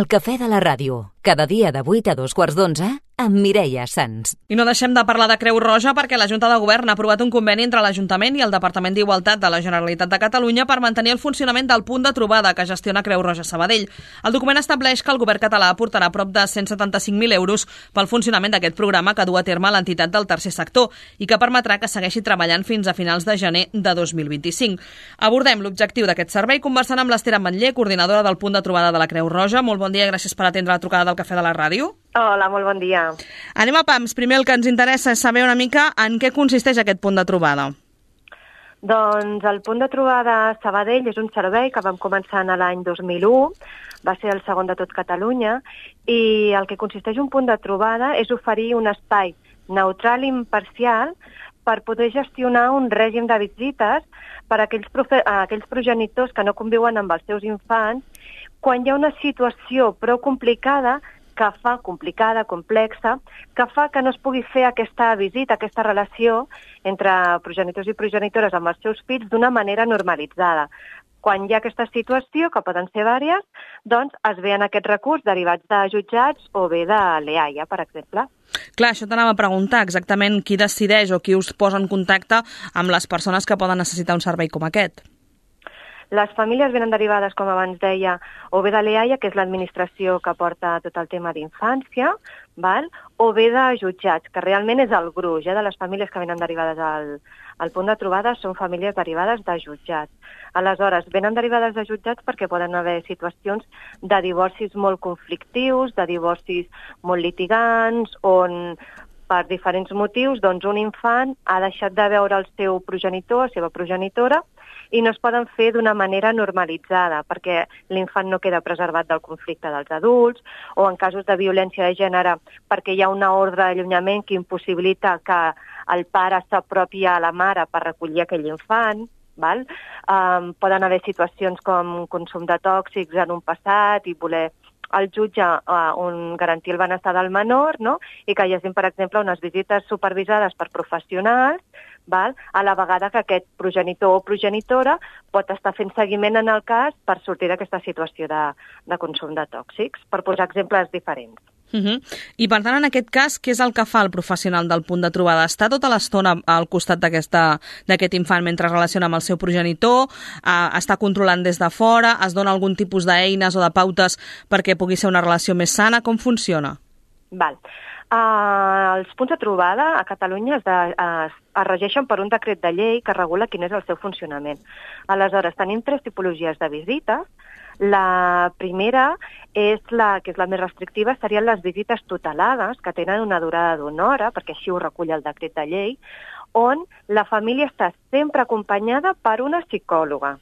El cafè de la ràdio, cada dia de 8 a 2:15, amb Mireia Sans. I no deixem de parlar de Creu Roja perquè la Junta de Govern ha aprovat un conveni entre l'Ajuntament i el Departament d'Igualtat de la Generalitat de Catalunya per mantenir el funcionament del punt de trobada que gestiona Creu Roja Sabadell. El document estableix que el govern català aportarà prop de 175.000 euros pel funcionament d'aquest programa que du a terme l'entitat del tercer sector i que permetrà que segueixi treballant fins a finals de gener de 2025. Abordem l'objectiu d'aquest servei conversant amb l'Esther Ametller, coordinadora del punt de trobada de la Creu Roja. Molt bon dia i gràcies per atendre la trucada del Cafè de la Ràdio. Hola, molt bon dia. Anem a pams. Primer el que ens interessa és saber una mica en què consisteix aquest punt de trobada. Doncs el punt de trobada Sabadell és un servei que vam començar en l'any 2001, va ser el segon de tot Catalunya, i el que consisteix un punt de trobada és oferir un espai neutral i imparcial per poder gestionar un règim de visites per a aquells progenitors que no conviuen amb els seus infants quan hi ha una situació prou complicada, complexa, que fa que no es pugui fer aquesta visita, aquesta relació entre progenitors i progenitores amb els seus fills d'una manera normalitzada. Quan hi ha aquesta situació, que poden ser vàries, doncs es veien aquests recurs derivats de jutjats o bé de l'EAIA, per exemple. Clar, això t'anava a preguntar exactament qui decideix o qui us posa en contacte amb les persones que poden necessitar un servei com aquest. Les famílies venen derivades, com abans deia, o bé de l'EAIA, que és l'administració que porta tot el tema d'infància, o bé de jutjats, que realment és el gruix de les famílies que venen derivades al punt de trobada, són famílies derivades de jutjats. Aleshores, venen derivades de jutjats perquè poden haver situacions de divorcis molt conflictius, de divorcis molt litigants, on per diferents motius doncs un infant ha deixat de veure el seu progenitor, la seva progenitora, i no es poden fer d'una manera normalitzada, perquè l'infant no queda preservat del conflicte dels adults, o en casos de violència de gènere, perquè hi ha una ordre d'allunyament que impossibilita que el pare s'apropi a la mare per recollir aquell infant. Poden haver situacions com consum de tòxics en un passat i voler el jutge garantir el benestar del menor, i que hi hagi, per exemple, unes visites supervisades per professionals, a la vegada que aquest progenitor o progenitora pot estar fent seguiment en el cas per sortir d'aquesta situació de consum de tòxics, per posar exemples diferents. I per tant, en aquest cas, què és el que fa el professional del punt de trobada? Està tota l'estona al costat d'aquest infant mentre es relaciona amb el seu progenitor? Està controlant des de fora? Es dona algun tipus d'eines o de pautes perquè pugui ser una relació més sana? Com funciona? Els punts de trobada a Catalunya es regeixen per un decret de llei que regula quin és el seu funcionament. Aleshores, tenim 3 tipologies de visites. La primera, que és la més restrictiva, serien les visites tutelades, que tenen una durada d'1 hora, perquè així ho recull el decret de llei, on la família està sempre acompanyada per una psicòloga.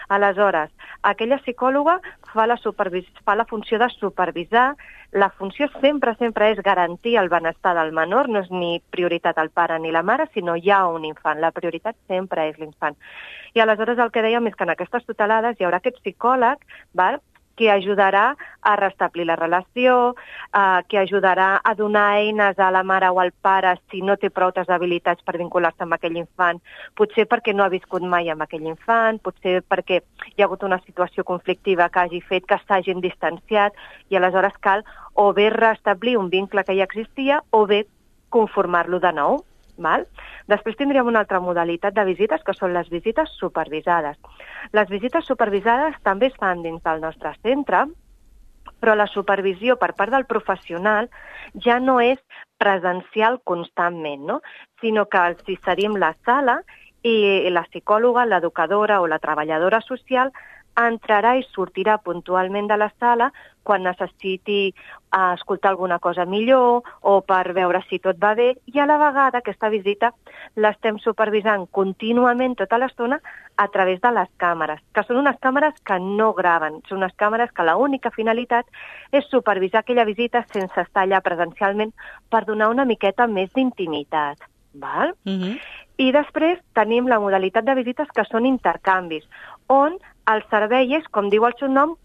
Aleshores, aquella psicòloga fa la funció de supervisar. La funció sempre és garantir el benestar del menor, no és ni prioritat el pare ni la mare, sinó hi ha un infant. La prioritat sempre és l'infant. I aleshores el que dèiem és que en aquestes tutelades hi haurà aquest psicòleg, que ajudarà a restablir la relació, que ajudarà a donar eines a la mare o al pare si no té prou habilitats per vincular-se amb aquell infant, potser perquè no ha viscut mai amb aquell infant, potser perquè hi ha hagut una situació conflictiva que hagi fet que s'hagin distanciat i aleshores cal o bé restablir un vincle que ja existia o bé conformar-lo de nou. Després tindríem una altra modalitat de visites, que són les visites supervisades. Les visites supervisades també es fan dins del nostre centre, però la supervisió per part del professional ja no és presencial constantment, sinó que els cedim la sala i la psicòloga, l'educadora o la treballadora social entrarà i sortirà puntualment de la sala quan necessiti escoltar alguna cosa millor o per veure si tot va bé, i a la vegada aquesta visita l'estem supervisant contínuament tota l'estona a través de les càmeres, que són unes càmeres que no graven, són unes càmeres que l'única finalitat és supervisar aquella visita sense estar allà presencialment per donar una miqueta més d'intimitat. I després tenim la modalitat de visites que són intercanvis, on el servei és, com diu el seu nom,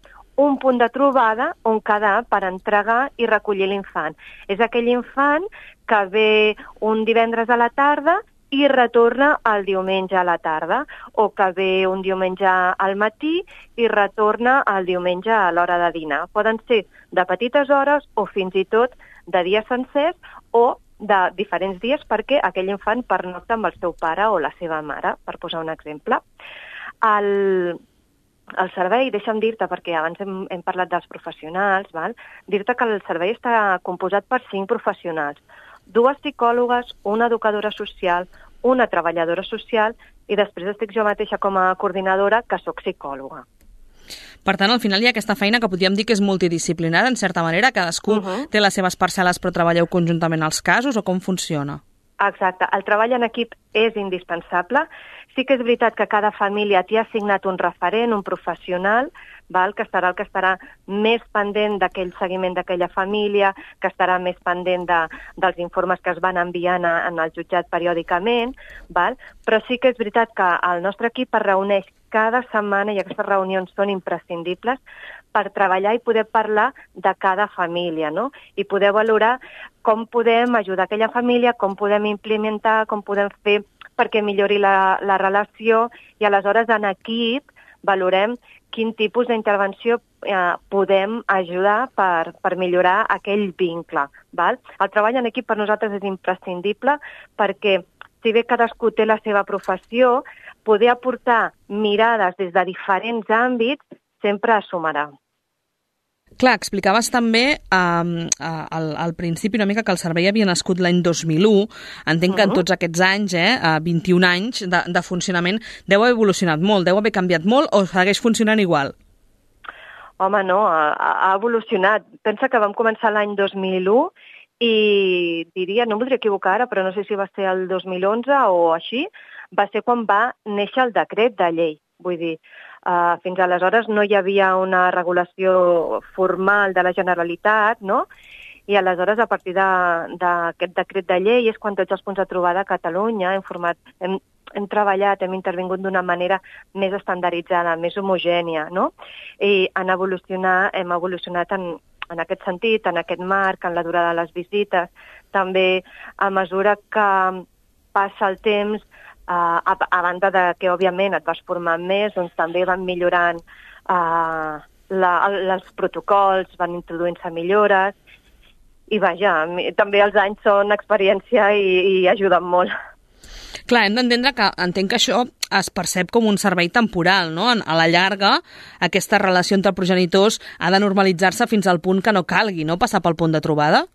un punt de trobada on quedar per entregar i recollir l'infant. És aquell infant que ve un divendres a la tarda i retorna el diumenge a la tarda, o que ve un diumenge al matí i retorna el diumenge a l'hora de dinar. Poden ser de petites hores o fins i tot de dies sencers o de diferents dies perquè aquell infant pernocta amb el seu pare o la seva mare, per posar un exemple. El servei, deixa'm dir-te, perquè abans hem parlat dels professionals, dir-te que el servei està composat per 5 professionals, 2 psicòlogues, una educadora social, una treballadora social i després estic jo mateixa com a coordinadora, que sóc psicòloga. Per tant, al final hi ha aquesta feina que podríem dir que és multidisciplinària, en certa manera, cadascú té les seves parcel·les però treballeu conjuntament als casos, o com funciona? Exacte, el treball en equip és indispensable. Sí que és veritat que cada família t'hi ha assignat un referent, un professional, que estarà el que estarà més pendent d'aquell seguiment d'aquella família, que estarà més pendent dels informes que es van enviant en el jutjat periòdicament, però sí que és veritat que el nostre equip es reuneix cada setmana i aquestes reunions són imprescindibles per treballar i poder parlar de cada família, no? I poder valorar com podem ajudar aquella família, com podem implementar, com podem fer perquè millori la relació i aleshores en equip valorem quin tipus d'intervenció podem ajudar per millorar aquell vincle. El treball en equip per nosaltres és imprescindible perquè si bé cadascú té la seva professió, poder aportar mirades des de diferents àmbits sempre sumarà. Clar, explicaves també al principi una mica que el servei havia nascut l'any 2001. Entenc que en tots aquests anys, 21 anys de funcionament, deu haver evolucionat molt, deu haver canviat molt o segueix funcionant igual? Home, no, ha evolucionat. Pensa que vam començar l'any 2001 i diria, no em voldria equivocar ara, però no sé si va ser el 2011 o així, va ser quan va néixer el decret de llei. Vull dir, fins aleshores no hi havia una regulació formal de la Generalitat, no? I aleshores, a partir d'aquest decret de llei, és quan tots els punts de trobada a Catalunya hem treballat, hem intervingut d'una manera més estandarditzada, més homogènia, no? I hem evolucionat en aquest sentit, en aquest marc, en la durada de les visites. També, a mesura que passa el temps, a banda de que, òbviament, et vas formant més, doncs també van millorant els protocols, van introduint-se millores, i vaja, també els anys són experiència i ajuden molt. Clar, hem d'entendre que entenc que això es percep com un servei temporal, no? A la llarga, aquesta relació entre progenitors ha de normalitzar-se fins al punt que no calgui, no?, passar pel punt de trobada?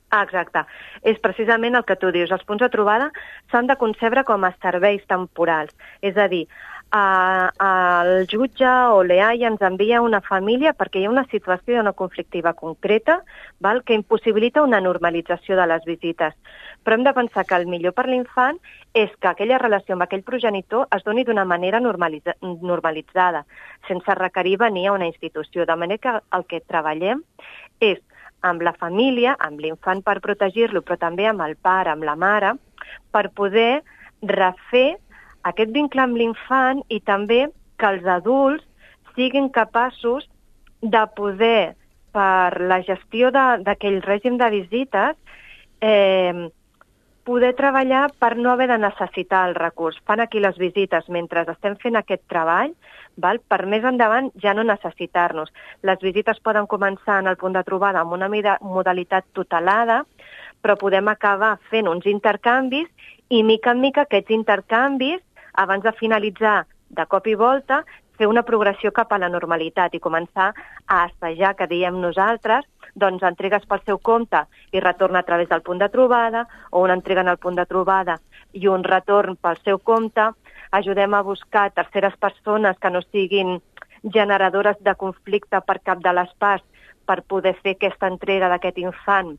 Exacte. És precisament el que tu dius. Els punts de trobada s'han de concebre com a serveis temporals. És a dir, el jutge o l'EAI ens envia una família perquè hi ha una situació d'una conflictiva concreta que impossibilita una normalització de les visites. Però hem de pensar que el millor per l'infant és que aquella relació amb aquell progenitor es doni d'una manera normalitzada, sense requerir venir a una institució. De manera que el que treballem és amb la família, amb l'infant per protegir-lo, però també amb el pare, amb la mare, per poder refer aquest vincle amb l'infant i també que els adults siguin capaços de poder, per la gestió d'aquell règim de visites, poder treballar per no haver de necessitar el recurs. Fan aquí les visites mentre estem fent aquest treball, per més endavant ja no necessitar-nos. Les visites poden començar en el punt de trobada amb una modalitat tutelada, però podem acabar fent uns intercanvis i, mica en mica, aquests intercanvis, abans de finalitzar de cop i volta, fer una progressió cap a la normalitat i començar a assajar, que diem nosaltres, doncs entregues pel seu compte i retorna a través del punt de trobada, o una entrega en el punt de trobada i un retorn pel seu compte. Ajudem a buscar terceres persones que no siguin generadores de conflicte per cap de les parts per poder fer aquesta entrega d'aquest infant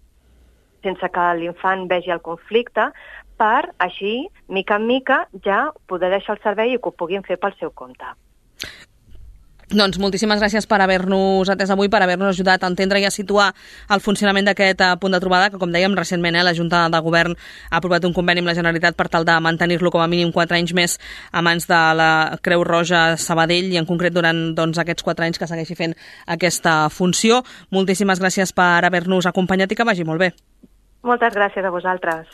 sense que l'infant vegi el conflicte, per així, mica en mica, ja poder deixar el servei i que ho puguin fer pel seu compte. Doncs moltíssimes gràcies per haver-nos atès avui, per haver-nos ajudat a entendre i a situar el funcionament d'aquest punt de trobada, que, com dèiem, recentment la Junta de Govern ha aprovat un conveni amb la Generalitat per tal de mantenir-lo com a mínim 4 anys més a mans de la Creu Roja Sabadell i, en concret, durant aquests 4 anys que segueixi fent aquesta funció. Moltíssimes gràcies per haver-nos acompanyat i que vagi molt bé. Moltes gràcies a vosaltres.